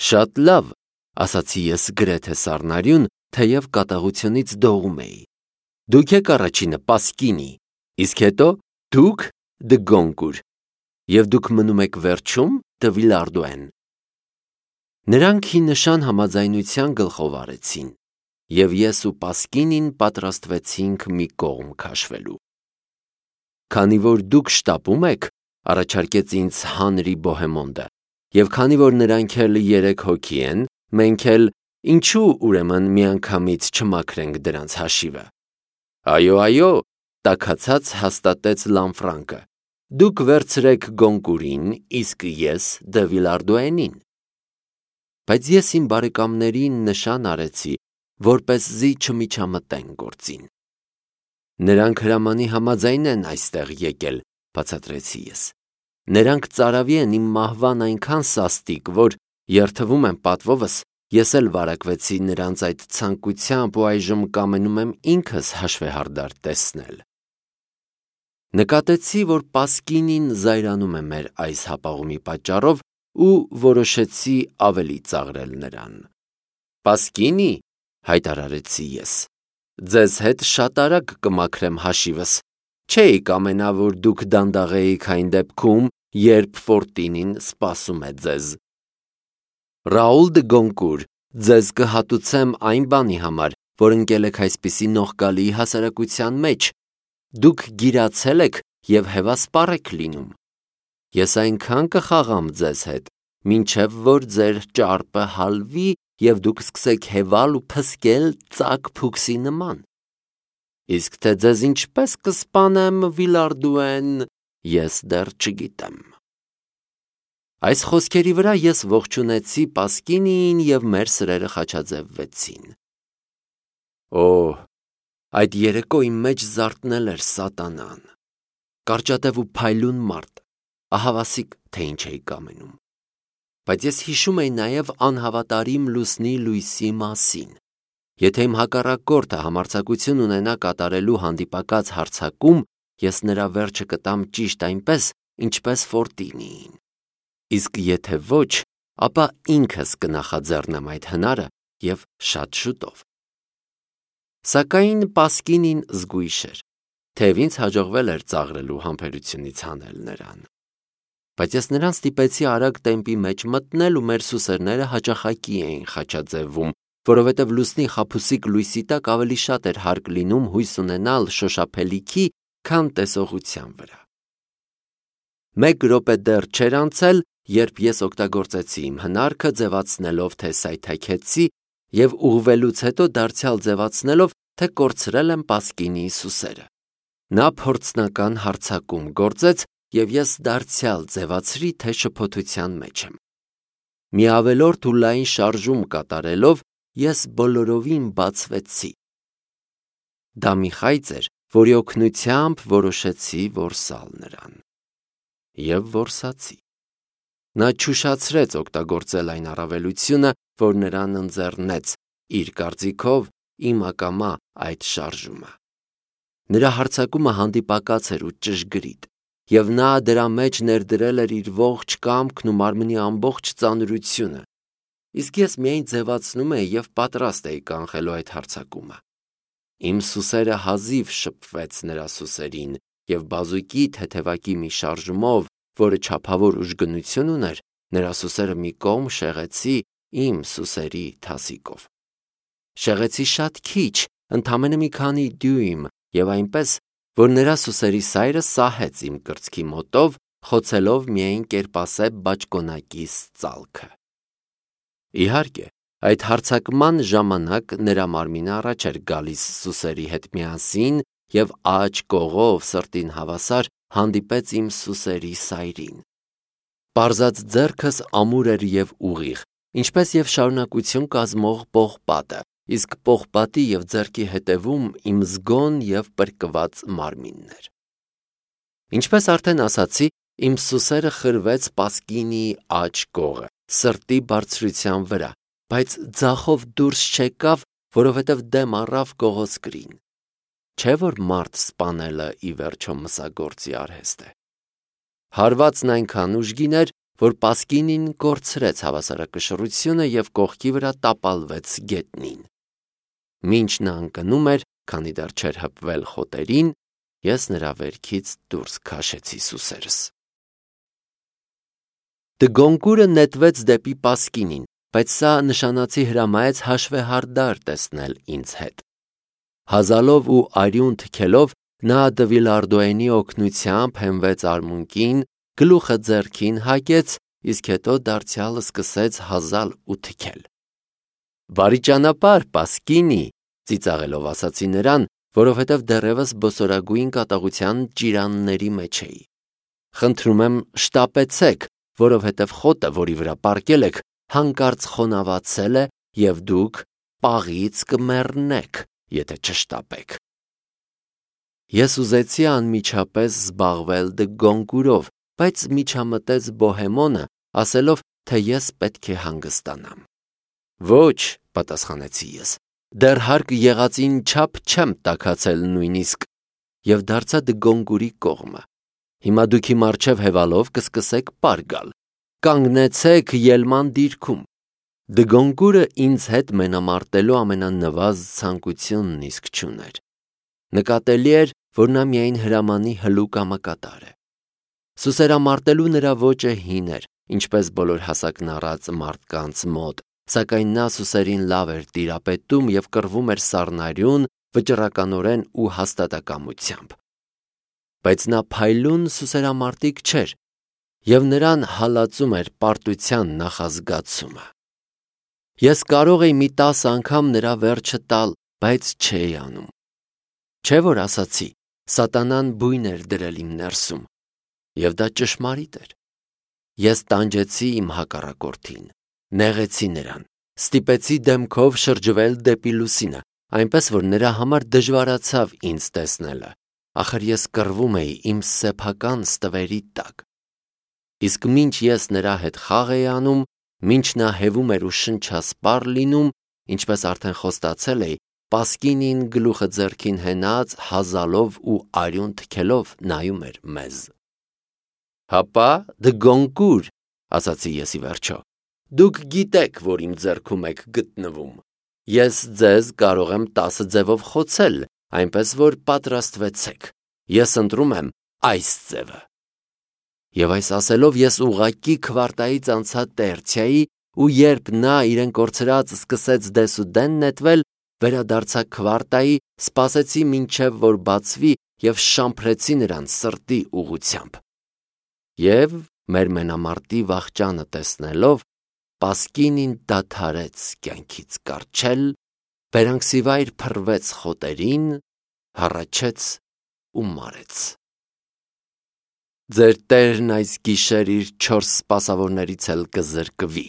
Շատ լավ, ասացի ես գրեթե սառնարյուն, թեև կատաղությունից դողում էի։ Դուք եք առաջինը Պասկինի, իսկ հետո դուք Դը Գոնկուր, և դուք մնում եք վերջում Դը Վիլարդուեն։ Նրանք ի նշան համաձայնության գլխով արեցին, և ես ու Պասկինին պատրաստվեցինք մի կողմ քաշվելու։ Քանի որ դուք շտապում եք, առաջարկեց ինձ Հանրի Բոհեմոնդը, և քանի որ նրանք էլ 3 հոգի են, մենք էլ ինչու ուրեմն միանգամից չմաքրենք դրանց հաշիվը։ Այո, տաքացած հաստատեց Լանֆրանկը, դուք վերցրեք Գոնկուրին, իսկ ես Դը Վիլարդուենին։ Բայց ես իմ բարեկամներին նշան արեցի, որպեսզի չմիջամտեն գործին։ Նրանք հրամանի համաձայն են այստեղ եկել, բացատրեցի ես։ Նրանք ծարավի են իմ մահվան այնքան սաստիկ, որ երթվում եմ պատվովս, ես էլ վարակվեցի նրանց այդ ցանկությամբ ու այժմ կամենում եմ ինքս հաշվեհարդար տեսնել։ Նկատեցի, որ Պասկինին զայրանում է մեր այս հապաղումի պատճառով ու որոշեցի ավելի ծաղրել նրան։ Պասկինի, հայտարարեցի ես, ձեզ հետ շատ արագ կմաքրեմ հաշիվս, չէի կամենա, որ դուք դանդաղեիք այն դեպքում, երբ Ֆորտինին սպասում է ձեզ։ Ռաուլ Դը Գոնկուր, ձեզ կհատուցեմ այն բանի համար, որ ընկել եք այսպիսի նողկալի հասարակության մեջ, դուք գիրացել եք և հևասպառ եք լինում։ Ես այնքան կխաղամ ձեզ հետ, մինչև որ ձեր ճարպը հալվի և դուք սկսեք հևալ ու փսկել ծակ փուքսի նման։ Իսկ թե ձեզ ինչպես կսպանեմ Վիլարդուեն, ես դեռ չգիտեմ։ Այս խոսքերի վրա ես ողջունեցի Պասկինիին և մեր սրերը խաչաձևվեցին։ Օհ, այդ երեկո իմ մեջ զարթնել էր սատանան։ Կարճատև ու փայլուն մարդ, ահավասիկ, թե ինչ էի կամենում։ Բայց ես հիշում էի նաև անհավատարիմ լուսնի լույսի մասին։ Եթե իմ հակառակորդը համարձակություն ունենա կատարելու հանդիպակաց հարձակում, ես նրա վերջը կտամ ճիշտ այնպես, ինչպես Ֆորտինիին։ Իսկ եթե ոչ, ապա ինքս կնախաձեռնեմ այդ հնարը և շատ շուտով։ Սակայն Պասկինին զգույշ էր, թեև ինձ հաջողվել էր ծաղրելու համբերությունից հանել նրան։ Բայց ես նրան ստիպեցի արագ տեմպի մեջ մտնել ու մեր սուսերները հաճախակի էին խաչաձևվում, որովհետև լուսնի խաբուսիկ լույսի տակ ավելի շատ էր հարկ լինում հույս ունենալ շոշափելիքի, քան տեսողության վրա։ 1 րոպե դեռ չէր անցել, երբ ես օգտագործեցի իմ հնարքը ձևացնելով, թե սայթաքեցի և ուղղվելուց հետո դարձյալ ձևացնելով, թե կորցրել եմ Պասկինիի սուսերը։ Նա փորձնական հարձակում գործեց և ես դարձյալ ձևացրի, թե շփոթության մեջ եմ։ Մի ավելորդ ու լայն շարժում կատարելով, ես բոլորովին բացվեցի։ Դա մի խայծ էր, որի օգնությամբ որոշեցի որսալ նրան։ Եվ որսացի։ Նա չուշացրեց օգտագործել այն առավելությունը, որ նրան ընձեռնեց, իր կարծիքով, իմ ակամա այդ շարժումը։ Նրա հարձակումը հանդիպակաց էր ու ճշգրիտ, և նա դրա մեջ ներդրել էր իր ողջ կամքն ու մարմնի ամբողջ ծանրությունը, իսկ ես միայն ձևացնում էի և պատրաստ էի կանխելու այդ հարձակումը։ Իմ սուսերը հազիվ շփվեց նրա սուսերին, և բազուկի թեթևակի մի շարժումով, որը չափավոր ուժգնություն ուներ, նրա սուսերը մի կողմ շեղեցի իմ սուսերի թասիկով։ Շեղեցի շատ քիչ, ընդամենը մի քանի դյույմ, և այնպես, որ նրա սուսերի սայրը սահեց իմ կրծքի մոտով, խոցելով միայն կերպասե բաճկոնակիս ծալքը։ Իհարկե, այդ հարձակման ժամանակ նրա մարմինը առաջ էր գալիս սուսերի հետ միասին և աջ կողով սրտին հավասար հանդիպեց իմ սուսերի սայրին։ Պարզած ձեռքս ամուր էր և ուղիղ, ինչպես և շարունակություն կազմող պողպատը, իսկ պողպատի և ձեռքի հետևում իմ զգոն և պրկված մարմինն էր։ Ինչպես արդեն ասացի, իմ սուսերը խրվեց Պասկինիի աջ կողը, սրտի բարձրության վրա, բայց ձախով դուրս չեկավ, որովհետև դեմ առավ կողոսկրին։ Չէ՞ որ մարդ սպանելը ի վերջո մսագործի արհեստ է։ Հարվածն այնքան ուժգին էր, որ Պասկինին կորցրեց հավասարակշռությունը և կողքի վրա տապալվեց գետնին։ Մինչ նա ընկնում էր, քանի դեռ չէր հպվել խոտերին, ես նրա վերքից դուրս քաշեցի սուսերս։ Դգոնկուրը նետվեց դեպի Պասկինին, բայց սա նշանացի հրամայեց հաշվեհարդար տեսնել ինձ հետ։ Հազալով ու արյուն թքելով նա Դվիլարդոյենի օգնությամբ հենվեց արմունկին, գլուխը ձեռքին հագեց, իսկ հետո դարձյալ սկսեց հազալ ու թքել։ «Բարի ճանապարհ, Պասկինի», ծիծաղելով ասացի նրան, որովհետև դեռևս բոսորագույն կատաղության ճիրանների մեջ էի։ «Խնդրում եմ, շտապեցեք, որովհետև խոտը, որի վրա պառկել եք, հանկարծ խոնավացել է և դուք պաղից կմեռնեք, եթե չշտապեք»։ Ես ուզեցի անմիջապես զբաղվել դգոնկուրով, բայց միջամտեց Բոհեմոնը, ասելով, թե ես պետք է հանգստանամ։ «Ոչ», պատասխանեցի ես, «դեռ հարկ եղածին չափ չեմ տաքացել նույնիսկ» և դարձա դգոնկուրի կողմը։ «Հիմա դուք իմ առջև հևալով կսկսեք պար գալ։ Կանգնեցեք ելման դիրքում»։ Դգոնկուրը ինձ հետ մենամարտելու ամենանվազ ցանկությունն իսկ չուներ։ Նկատելի էր, որ նա միայն հրամանի հլուկամկատար է։ Սուսերամարտելու նրա ոճը հին էր, ինչպես բոլոր հասակն առած մարդկանց մոտ, սակայն նա սուսերին լավ էր տիրապետում և կռվում էր սառնարյուն, վճռականորեն ու հաստատակամությամբ։ Բայց նա փայլուն սուսերամարտիկ չէր, և նրան հալածում էր պարտության նախազգացումը։ Ես կարող էի մի 10 անգամ նրա վերջը տալ, բայց չէի անում։ Չէ՞ որ ասացի, սատանան բույն էր դրել իմ ներսում, և դա ճշմարիտ էր։ Ես տանջեցի իմ հակառակորդին, նեղեցի նրան, ստիպեցի դեմքով շրջվել դեպի լուսինը, այնպես որ նրա համար դժվարացավ ինձ տեսնելը, ախր ես կռվում էի իմ սեփական ստվերի տակ։ Իսկ մինչ ես նրա հետ խաղ էի անում, մինչ նա հևում էր ու շնչասպառ լինում, ինչպես արդեն խոստացել էի, Պասկինին գլուխը ձեռքին հենած, հազալով ու արյուն թքելով նայում էր մեզ։ «Հապա, դգոնկուր», ասացի ես ի վերջո, «դուք գիտեք, որ իմ ձեռքում եք գտնվում։ Ես ձեզ կարող եմ 10 ձևով խոցել, այնպես որ պատրաստվեցեք։ Ես ընտրում եմ այս ձևը»։ Եվ այս ասելով ես ուղղակի քվարտայից անցա տերցիայի, ու երբ նա իրեն կորցրած սկսեց դեսուդեն նետվել, վերադարձա քվարտայի, սպասեցի մինչև որ բացվի և շամփրեցի նրան սրտի ուղղությամբ։ Եվ մեր մենամարտի վախճանը տեսնելով, Պասկինին դադարեց կյանքից կառչել, բերանքսիվայր փռվեց խոտերին, հառաչեց ու մարեց։ Ձեր տերն այս գիշեր իր 4 սպասավորներից էլ կզրկվի,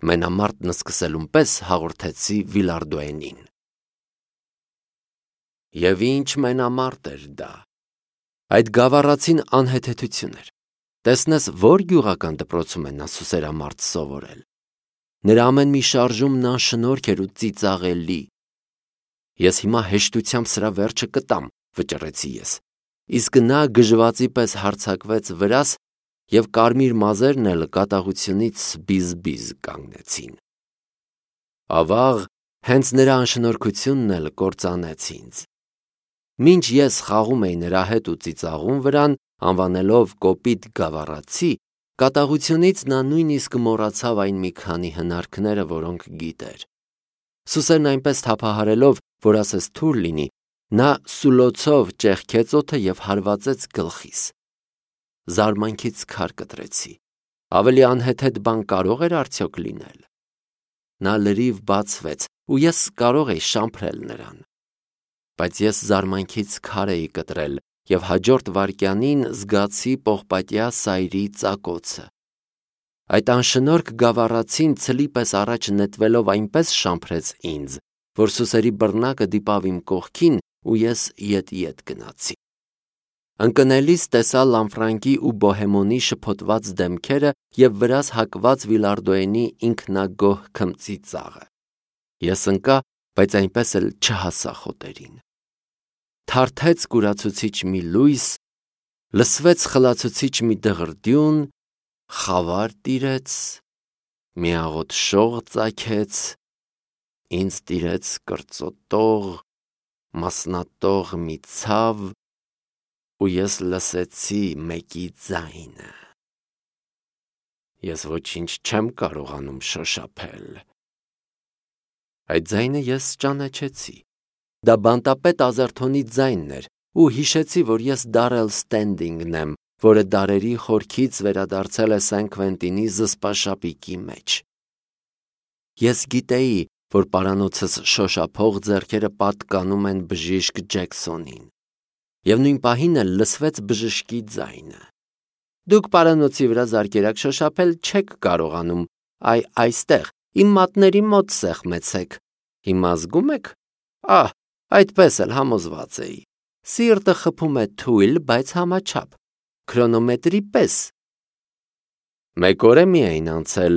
մենամարտն սկսելուն պես հաղորդեցի Վիլարդոյենին։ Եվ ինչ մենամարտ էր դա։ Այդ գավառացին անհեթեթություն էր։ Տեսնես, որ գյուղական դպրոցում է նա սուսերամարտ սովորել։ Նրա ամեն մի շարժումն անշնորհք էր ու ծիծաղելի։ Ես հիմա հեշտությամբ սրա վերջը կտամ, վճռեցի ես, իսկ նա գժվացի պես հարձակվեց վրաս, և կարմիր մազերն էլ կատաղությունից բիզ-բիզ կանգնեցին։ Ավաղ, հենց նրա անշնորհքությունն էլ կործանեց ինձ։ Մինչ ես խաղում էի նրա հետ ու ծիծաղում վրան, անվանելով կոպիտ գավառացի, կատաղությունից նա նույնիսկ մոռացավ այն մի քանի հնարքները, որոնք գիտեր։ Սուսերն այնպես թափահարելով, որ ասես թույլ լինի, նա սուլոցով ճեղքեց օդը և հարվածեց գլխիս։ Զարմանքից քար կտրեցի։ Ավելի անհեթեթ բան կարող էր արդյոք լինել։ Նա լրիվ բացվեց, ու ես կարող էի շամփրել նրան։ Բայց ես զարմանքից քար էի կտրել և հաջորդ վայրկյանին զգացի պողպատյա սայրի ծակոցը։ Այդ անշնորհք գավառացին ցլի պես առաջ նետվելով այնպես շամփրեց ինձ, որ սուսերի բռնակը դիպավ իմ կողքին, ու ես ետ-ետ գնացի։ Ընկնելիս տեսա Լանֆրանկի ու Բոհեմոնի շփոթված դեմքերը և վրաս հակված Վիլարդոյենի ինքնագոհ քմծի ծաղը։ Ես ընկա, բայց այնպես էլ չհասա խոտերին։ Թարթեց կուրացուցիչ մի լույս, լսվեց խլացուցիչ մի դղրդյուն, խավար տիրեց, մի աղոտ շող ծագեց, ինձ տիրեց կրծոտող, մասնատող մի ցավ, ու ես լսեցի մեկի ձայնը։ Ես ոչինչ չեմ կարողանում շոշափել։ Այդ ձայնը ես ճանաչեցի։ Դա բանտապետ Ազերթոնի ձայնն էր, ու հիշեցի, որ ես Դարել Ստենդինգն եմ, որը դարերի խորքից վերադարձել է Սեն Քվենտինի զսպաշապիկի մեջ։ Ես գիտեի, որ պարանոցս շոշափող ձեռքերը պատկանում են բժիշկ Ջեքսոնին։ Եվ նույն պահին էլ լսվեց բժշկի ձայնը։ Դուք պարանոցի վրա զարկերակ շոշափել չեք կարողանում, այստեղ, իմ մատների մոտ սեղմեցեք։ Հիմա զգում եք։ Ահ, այդպես էլ համոզված էի։ Սիրտը խփում է թույլ, բայց համաչափ, քրոնոմետրի պես։ Մեկ օր է միայն անցել,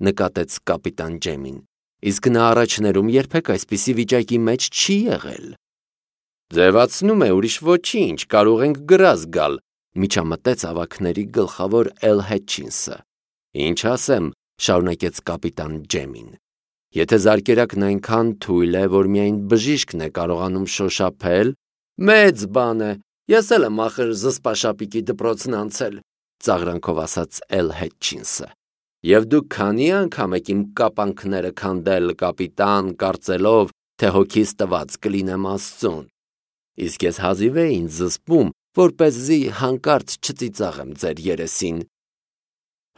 նկատեց կապիտան Ջեմին, իսկ նա առաջներում երբեք այսպիսի վիճակի մեջ չի եղել։ Ձևացնում է, ուրիշ ոչինչ, կարող ենք գրազ գալ, միջամտեց ավագների գլխավոր Էլ Հետչինսը։ Ինչ ասեմ, շարունակեց կապիտան Ջեմին։ Եթե զարկերակն այնքան թույլ է, որ միայն բժիշկն է կարողանում շոշափել, մեծ բան է, ես էլ եմ ախր զսպաշապիկի դպրոցն անցել, ծաղրանքով ասաց Էլ Հետչինսը։ Եվ դուք քանի անգամ եք իմ կապանքները քանդել, կապիտան, կարծելով, թե հոգիս տված կլինեմ Աստծուն։ Իսկ ես հազիվ էի ինձ զսպում, որպեսզի հանկարծ չծիծաղեմ ձեր երեսին։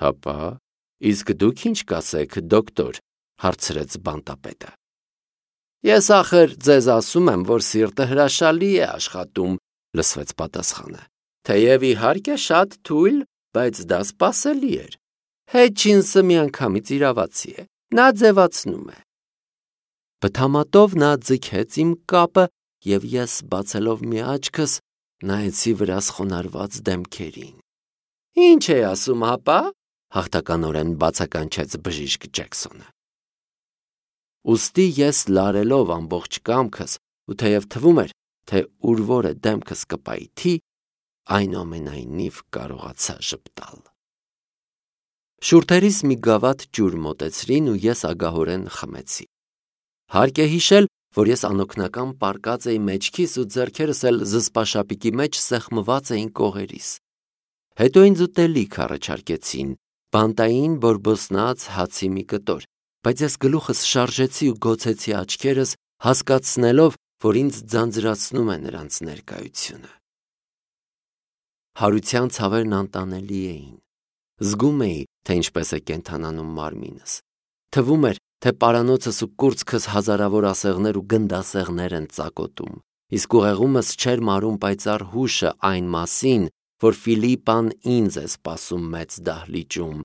Հապա, իսկ դուք ինչ կասեք, դոկտոր, հարցրեց բանտապետը։ Ես ախր ձեզ ասում եմ, որ սիրտը հրաշալի է աշխատում, լսվեց պատասխանը։ Թեև իհարկե շատ թույլ, բայց դա սպասելի էր։ Հետչինսը միանգամից իրավացի է, նա ձևացնում է։ Բթամատով նա ձգեց իմ կապը, և ես բացելով մի աչքս, նայեցի վրաս խոնարհված դեմքերին։ Ինչ է ասում, հապա, հաղթականորեն բացականչեց բժիշկ Ջեքսոնը։ Ուստի ես լարելով ամբողջ կամքս, ու թեև թվում էր, թե ուր որը դեմքս կպայթի, այնուամենայնիվ կարողացա ժպտալ։ Շուրթերիս մի գավաթ ջուր մոտեցրին ու ես ագահորեն խմեցի։ Հարկ է հիշել, որ ես անօգնական պառկած էի մեջքիս ու ձեռքերս էլ զսպաշապիկի մեջ սեղմված էին կողերիս։ Հետո ինձ ուտելիք առաջարկեցին, բանտային բորբոսնած հացի մի կտոր, բայց ես գլուխս շարժեցի ու գոցեցի աչքերս, հասկացնելով, որ ինձ ձանձրացնում է նրանց ներկայությունը։ Հարության ցավերն անտանելի էին։ Զգում էի, թե ինչպես է կենդանանում մարմինս։ Թվում էր, թե պարանոցս ու կուրծքս հազարավոր ասեղներ ու գնդասեղներ են ծակոտում, իսկ ուղեղումս չէր մարում պայծառ հուշը այն մասին, որ Ֆիլիպան ինձ է սպասում մեծ դահլիճում,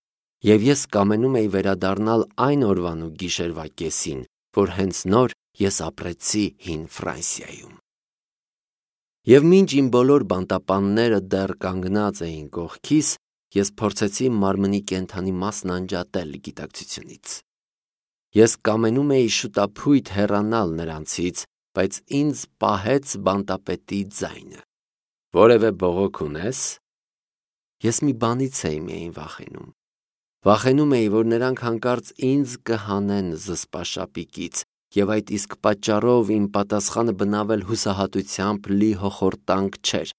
և ես կամենում էի վերադառնալ այն օրվան ու գիշերվա կեսին, որ հենց նոր ես ապրեցի հին Ֆրանսիայում։ Եվ մինչ իմ բոլոր բանտապանները դեռ կանգնած էին կողքիս, ես փորձեցի մարմնի կենդանի մասն անջատել գիտակցությունից։ Ես կամենում էի շուտափույթ հեռանալ նրանցից, բայց ինձ պահեց բանտապետի ձայնը։ Որևէ բողոք ունես։ Ես մի բանից էի միայն վախենում։ Վախենում էի, որ նրանք հանկարծ ինձ կհանեն զսպաշապիկից, և այդ իսկ պատճառով իմ պատասխանը բնավել հուսահատությամբ լի հոխորտանք չէր։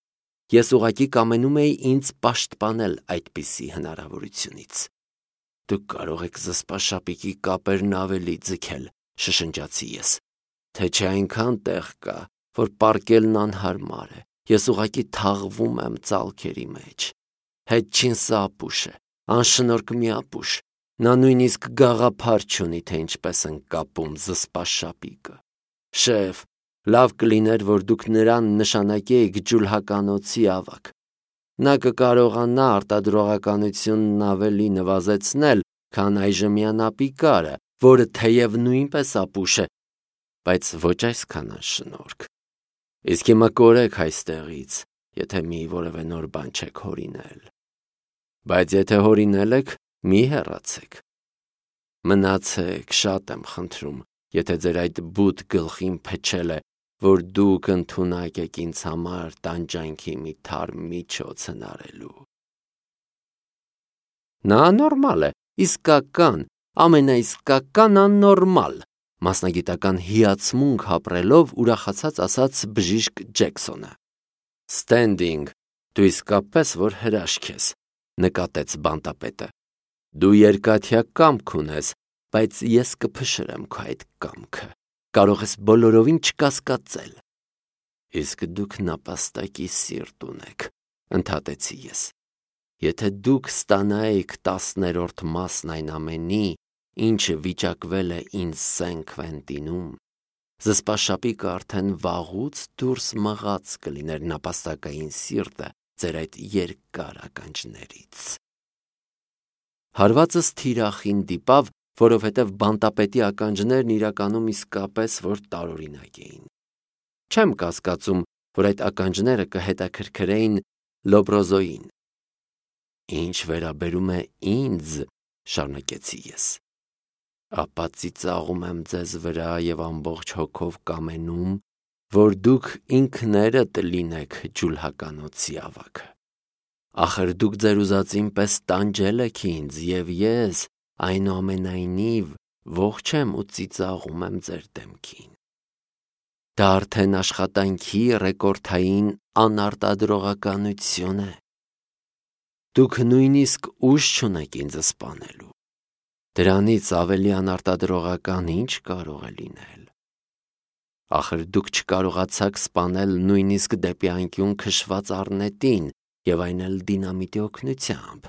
Ես ուղղակի կամենում էի ինձ պաշտպանել այդպիսի հնարավորությունից։ Դուք կարող եք զսպաշապիկի կապերն ավելի ձգել, շշնջացի ես, թե չէ այնքան տեղ կա, որ պառկելն անհարմար է, ես ուղղակի թաղվում եմ ծալքերի մեջ։ Հետչինսը ապուշ է, անշնորհք մի ապուշ, նա նույնիսկ գաղափար չունի, թե ինչպես են կապում զսպաշապիկը։ Շեֆ, լավ կլիներ, որ դուք նրան նշանակեիք ջուլհականոցի ավագ։ Նա կկարողանա արտադրողականությունն ավելի նվազեցնել, քան այժմյան ապիկարը, որը թեև նույնպես ապուշ է, բայց ոչ այսքան անշնորհք։ Իսկ հիմա կորեք այստեղից, եթե մի որևէ նոր բան չեք հորինել։ Բայց եթե հորինել եք, մի հեռացեք։ Մնացեք, շատ եմ խնդրում, եթե ձեր այդ բութ գլխին փչել է, որ դուք ընդունակ եք ինձ համար տանջանքի մի թարմ միջոց հնարելու։ Նա աննորմալ է, իսկական, ամենաիսկական աննորմալ, մասնագիտական հիացմունք ապրելով ուրախացած ասաց բժիշկ Ջեքսոնը։ Ստենդինգ, դու իսկապես որ հրաշք ես, նկատեց բանտապետը։ Դու երկաթյա կամք ունես, բայց ես կփշրեմ քո այդ կամքը, կարող ես բոլորովին չկասկածել։ Իսկ դուք նապաստակի սիրտ ունեք, ընդհատեցի ես։ Եթե դուք ստանայիք 10-րդ մասն այն ամենի, ինչը վիճակվել է ինձ Սեն Քվենտինում, զսպաշապիկը արդեն վաղուց դուրս մղած կլիներ նապաստակային սիրտը ձեր այդ երկար ականջներից։ Հարվածս թիրախին դիպավ, որովհետև բանտապետի ականջներն իրականում իսկապես որ տարօրինակ էին։ Չեմ կասկածում, որ այդ ականջները կհետաքրքրեին Լոբրոզոյին։ Ինչ վերաբերում է ինձ, շարունակեցի ես, ապա ծիծաղում եմ ձեզ վրա և ամբողջ հոգով կամենում, որ դուք ինքներդ լինեք ջուլհականոցի ավագը։ Ախր դուք ձեր ուզածին պես տանջել եք ինձ, և ես, այնուամենայնիվ, ողջ եմ ու ծիծաղում եմ ձեր դեմքին։ Դա արդեն աշխատանքի ռեկորդային անարտադրողականություն է։ Դուք նույնիսկ ուժ չունեք ինձ սպանելու։ Դրանից ավելի անարտադրողական ինչ կարող է լինել։ Ախր դուք չկարողացաք սպանել նույնիսկ դեպի անկյուն քշված առնետին, և այն էլ դինամիտի օգնությամբ,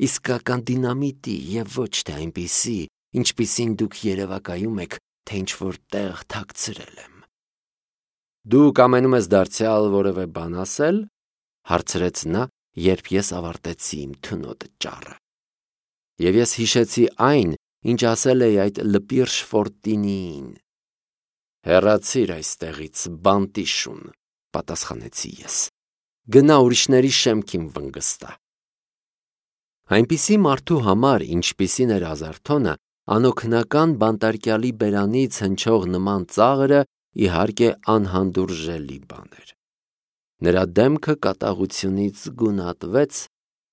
իսկական դինամիտի և ոչ թե այնպիսի, ինչպիսին դուք երևակայում եք, թե ինչ-որ տեղ թաքցրել եմ։ Դու կամենում ես դարձյալ որևէ բան ասել, հարցրեց նա, երբ ես ավարտեցի իմ թունոտ ճառը։ Եվ ես հիշեցի այն, ինչ ասել էի այդ լպիրշ Ֆորտինիին։ Հեռացիր այստեղից, բանտի շուն, պատասխանեցի ես։ Գնա ուրիշների շեմքին վնգստա։ Այնպիսի մարդու համար, ինչպիսին էր Ազարթոնը, անօգնական բանտարկյալի բերանից հնչող նման ծաղրը իհարկե անհանդուրժելի բան էր։ Նրա դեմքը կատաղությունից գունատվեց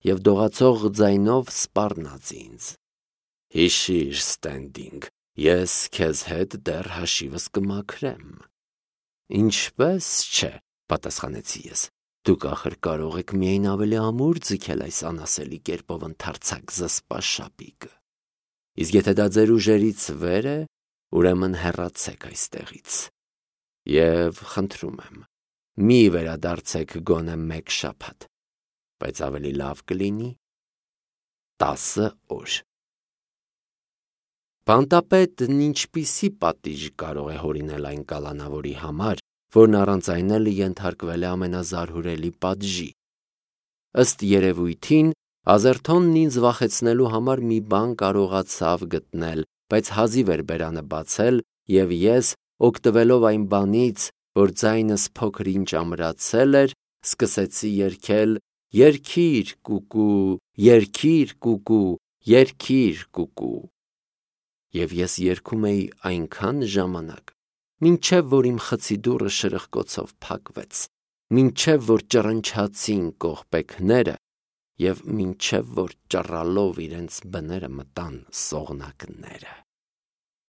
և դողացող ձայնով սպառնաց ինձ։ Հիշիր, Ստենդինգ, ես քեզ հետ դեռ հաշիվս կմաքրեմ։ Ինչպես չէ, պատասխանեցի ես, դուք ախր կարող եք միայն ավելի ամուր ձգել այս անասելի կերպով ընդարձակ զսպաշապիկը։ Իսկ եթե դա ձեր ուժերից վեր է, ուրեմն հեռացեք այստեղից։ Եվ խնդրում եմ, մի վերադարձեք գոնե մեկ շաբաթ, բայց ավելի լավ կլինի 10 օր։ Բանտապետն ինչպիսի պատիժ կարող է հորինել այն կալանավորի համար, որն առանց այն էլ ենթարկվել է ամենազարհուրելի պատժի։ Ըստ երևույթին, Ազերթոնն ինձ վախեցնելու համար մի բան կարողացավ գտնել, բայց հազիվ էր բերանը բացել, և ես, օգտվելով այն բանից, որ ձայնս փոքր-ինչ ամրացել էր, սկսեցի երգել «Երգիր, կուկու, երգիր, կուկու, երգիր, կուկու»։ Եվ ես երգում էի այնքան ժամանակ, մինչև որ իմ խցի դուռը շրխկոցով փակվեց, մինչև որ ճռնչացին կողպեքները և մինչև որ ճռալով իրենց բները մտան սողնակները։